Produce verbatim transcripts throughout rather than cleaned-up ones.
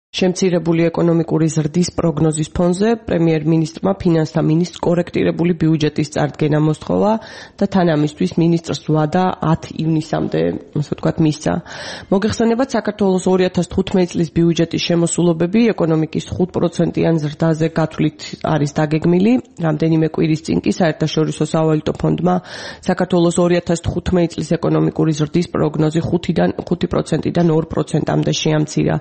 შემცირებული ეკონომიკური ზრდის პროგნოზის ფონზე პრემიერ-მინისტრმა ფინანსთა მინისტრს კორექტირებული ბიუჯეტის წარდგენა მოსთხოვა და თან ამისთვის მინისტრს ვადა ათი ივნისამდე, ასე ვთქვათ, მისცა. მოგეხსენებათ, საქართველოს ორი ათას თხუთმეტი წლის ბიუჯეტის შემოსულობები ეკონომიკის ხუთ პროცენტიან ზრდაზე გათვლით არის დაგეგმილი. რამდენიმე კვირის წინ კი საერთაშორისო სავალუტო ფონდმა საქართველოს ორი ათას თხუთმეტი წლის ეკონომიკური ზრდის პროგნოზი ხუთი პროცენტიდან ორ პროცენტამდე შეამცირა.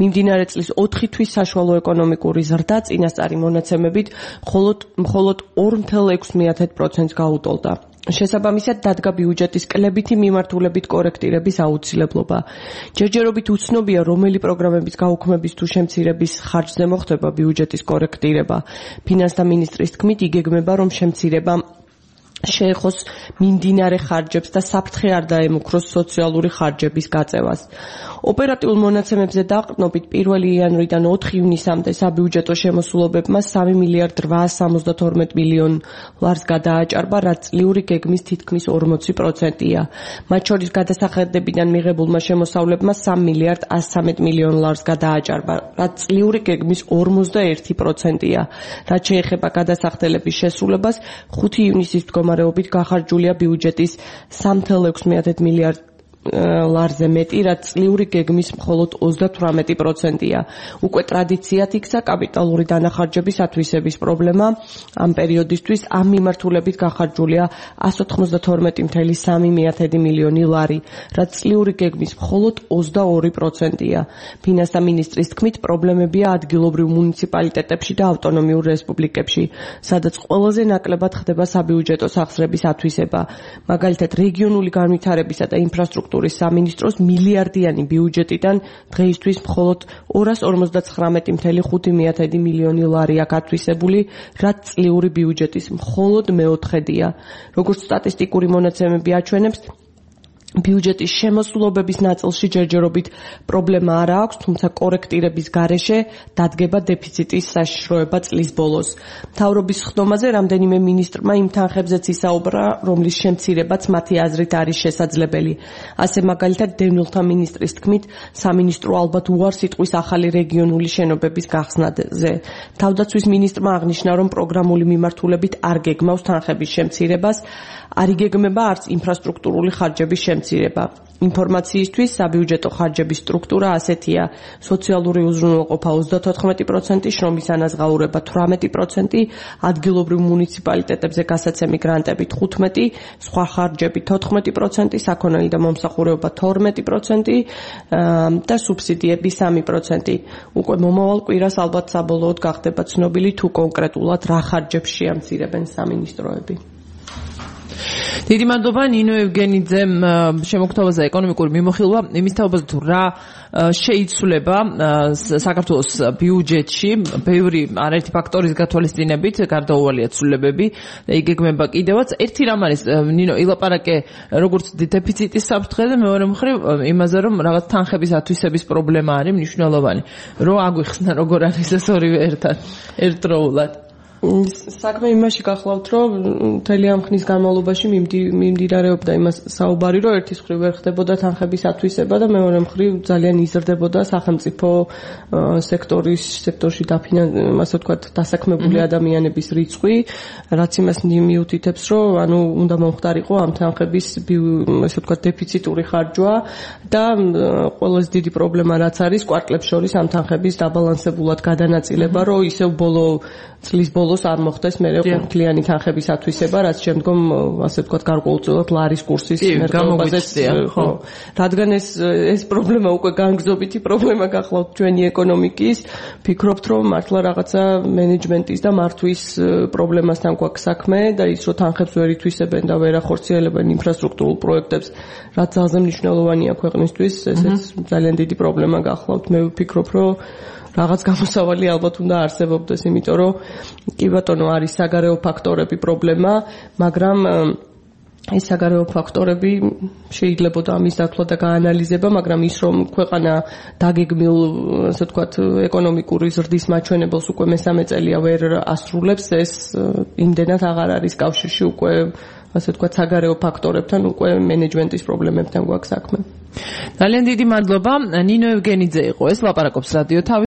მიმდინარე წლის ოთხი თვის საშუალო ეკონომიკური ზრდა წინასწარი მონაცემებით მხოლოდ მხოლოდ ორ virgulă șase პროცენტს გაუტოლდა. შესაბამისად დადგა ბიუჯეტის კლებითი მიმართულებით კორექტირების აუცილებლობა. ჯერჯერობით უცნობია, რომელი პროგრამების გაუქმების თუ შემცირების ხარჯზე მოხდება ბიუჯეტის კორექტირება. ფინანსთა მინისტრის თქმით, იგეგმება, რომ შემცირება შეეხოს მიმდინარე ხარჯებს და საფრთხე არ დაემუქროს სოციალური ხარჯების გაწევას. ოპერატიულ მონაცემებზე დაყრდნობით პირველი იანვრიდან ოთხი ივნისამდე საბიუჯეტო შემოსულობებმა სამი მილიარდ რვაას სამოცდათორმეტ მილიონ ლარს გადააჭარბა, რაც წლიური გეგმის თითქმის ორმოცი პროცენტია. მათ შორის გადასახადებიდან მიღებულმა შემოსავლებმა სამი მილიარდ ასი ცხრამეტ მილიონ ლარს გადააჭარბა, რაც წლიური გეგმის ორმოცდაერთი პროცენტია. რაც შეეხება გადასახდელების შესრულებას, ხუთი ივნისის მდგომარეობით გახარჯულია ბიუჯეტის სამი virgulă șase მილიარდ ლარზე მეტი, რაც წლიური გეგმის მხოლოდ ოცდათვრამეტი პროცენტია. უკვე ტრადიციად იქცა კაპიტალური დანახარჯების ათვისების პრობლემა. ამ პერიოდისთვის ამ მიმართულებით გახარჯულია ასი ოცდათორმეტი virgulă სამი მილიონი ლარი, რაც წლიური გეგმის მხოლოდ ოცდაორი პროცენტია. ფინანსთა მინისტრის თქმით, პრობლემებია ადგილობრივ მუნიციპალიტეტებში და ავტონომიურ რესპუბლიკებში, სადაც ყველაზე ნაკლებად ხდება საბიუჯეტო სახსრების ათვისება. მაგალითად, რეგიონული განვითარებისა და ინფრასტრუქტურის სამინისტროს მილიარდიანი ბიუჯეტიდან დღეისთვის მხოლოდ ორას ორმოცდაცხრამეტი virgulă ხუთი მილიონი ლარი აქვს ათვისებული, რაც წლიური ბიუჯეტის მხოლოდ მეოთხედია. როგორც სტატისტიკური მონაცემები აჩვენებს, ბიუჯეტის შემოსულობების ნაწილში ჯერჯერობით პრობლემა არ აქვს, თუმცა კორექტირების გარეშე დადგება დეფიციტის საშიშროება წლის ბოლოს. მთავრობის ხდომაზე რამდენიმე მინისტრმა იმ თანხებზეც ისაუბრა, რომლის შემცირებაც მათი აზრით არის შესაძლებელი. ასე მაგალითად, დევნილთა მინისტრის თქმით, სამინისტრო ალბათ უარს იტყვის ახალი რეგიონული შენობების გახსნაზე. თავდაცვის მინისტრმა აღნიშნა, რომ პროგრამული მიმართულებით არ გეგმავს თანხების შემცირებას, არ იგეგმება არც ინფრასტრუქტურული ხარჯების შემცირება. ინფორმაციისთვის საბიუჯეტო ხარჯების სტრუქტურა ასეთია: სოციალური უზრუნველყოფა ოცდათოთხმეტი პროცენტი, შრომის ანაზღაურება თვრამეტი პროცენტი, ადგილობრივ მუნიციპალიტეტებზე გასაცემი გრანტები თხუთმეტი, სხვა ხარჯები თოთხმეტი პროცენტი, საქონელი და მომსახურება თორმეტი პროცენტი და სუბსიდიები სამი პროცენტი. უკვე მომავალ კვირას ალბათ საბოლოოდ გახდება ცნობილი, თუ კონკრეტულად რა ხარჯებს შეამცირებენ სამინისტროები. დიდი მადლობა ნინო ევგენიძე შემოგთავაზა ეკონომიკური მიმოხილვა იმის თაობაზე თუ რა შეიცვლება საქართველოს ბიუჯეტში ბევრი არაერთი ფაქტორის გათვალისწინებით გარდაუვალია ცვლილებები და იგეგმება კიდევაც ერთი რამ არის ნინო ილაპარაკე როგორც დეფიციტის საფრთხეზე მეორე მხრივ იმაზე რომ რაღაც თანხების ათვისების პრობლემა არის მნიშვნელოვანი რომ აგვიხსნა როგორ არის ეს ორივე ერთად ერთდროულად საქმე იმაში გახლავთ, რომ მთელი ამ ხნის განმავლობაში მიმდინარეობდა იმას საუბარი, რომ ერთის მხრივ ვერ ხდებოდა თანხების ათვისება და მეორე მხრივ ძალიან იზრდებოდა სახელმწიფო სექტორის სექტორში დაფინანსებული, ასე ვთქვათ, დასაქმებული ადამიანების რიცხვი, რაც იმას მიუთითებს, რომ ანუ უნდა მომხდარიყო ამ თანხების, ასე ვთქვათ, დეფიციტური ხარჯვა და ყველაზე დიდი პრობლემა რაც არის, კვარტლებს შორის ამ თანხების დაბალანსებულად გადანაწილება, რომ ისევ ბოლო წლის ბოლოს არ მოხდეს მერე ყუთლიანი თანხების ათვისება, რაც შემდგომ ასე ვთქვათ გარკვეულწილად ლარის კურსის მერყეობაზე ხო. რადგან ეს ეს პრობლემა უკვე განგრძობითი პრობლემა გახლავთ ჩვენი ეკონომიკის, ფიქრობთ რომ მართლა რაღაცა მენეჯმენტის და მართვის პრობლემასთან გვაქვს საქმე და ის რომ თანხებს ვერ ითვისებენ და ვერ ახორციელებენ ინფრასტრუქტურულ პროექტებს, რაც ძალზე მნიშვნელოვანია ქვეყნისთვის, ესეც ძალიან დიდი პრობლემა გახლავთ. მე ვფიქრობ რომ რაღაც გამოსავალი ალბათ უნდა არსებობდეს, იმიტომ რომ კი ბატონო არის საგარეო ფაქტორები პრობლემა, მაგრამ ეს საგარეო ფაქტორები შეიძლება ამის დათვლა და გაანალიზება, მაგრამ ის რომ ქვეყანა დაგეგმილ, ასე ვთქვათ, ეკონომიკური ზრდის მაჩვენებელს უკვე მესამე წელია ვერ ასრულებს, ეს იმდენად აღარ არის კავშირში უკვე ასე ვთქვათ, საგარეო ფაქტორებთან, უკვე მენეჯმენტის პრობლემებთან გვაქვს საქმე. ძალიან დიდი მადლობა. ნინო ევგენიძე იყო ეს, ლაპარაკობს რადიო თავის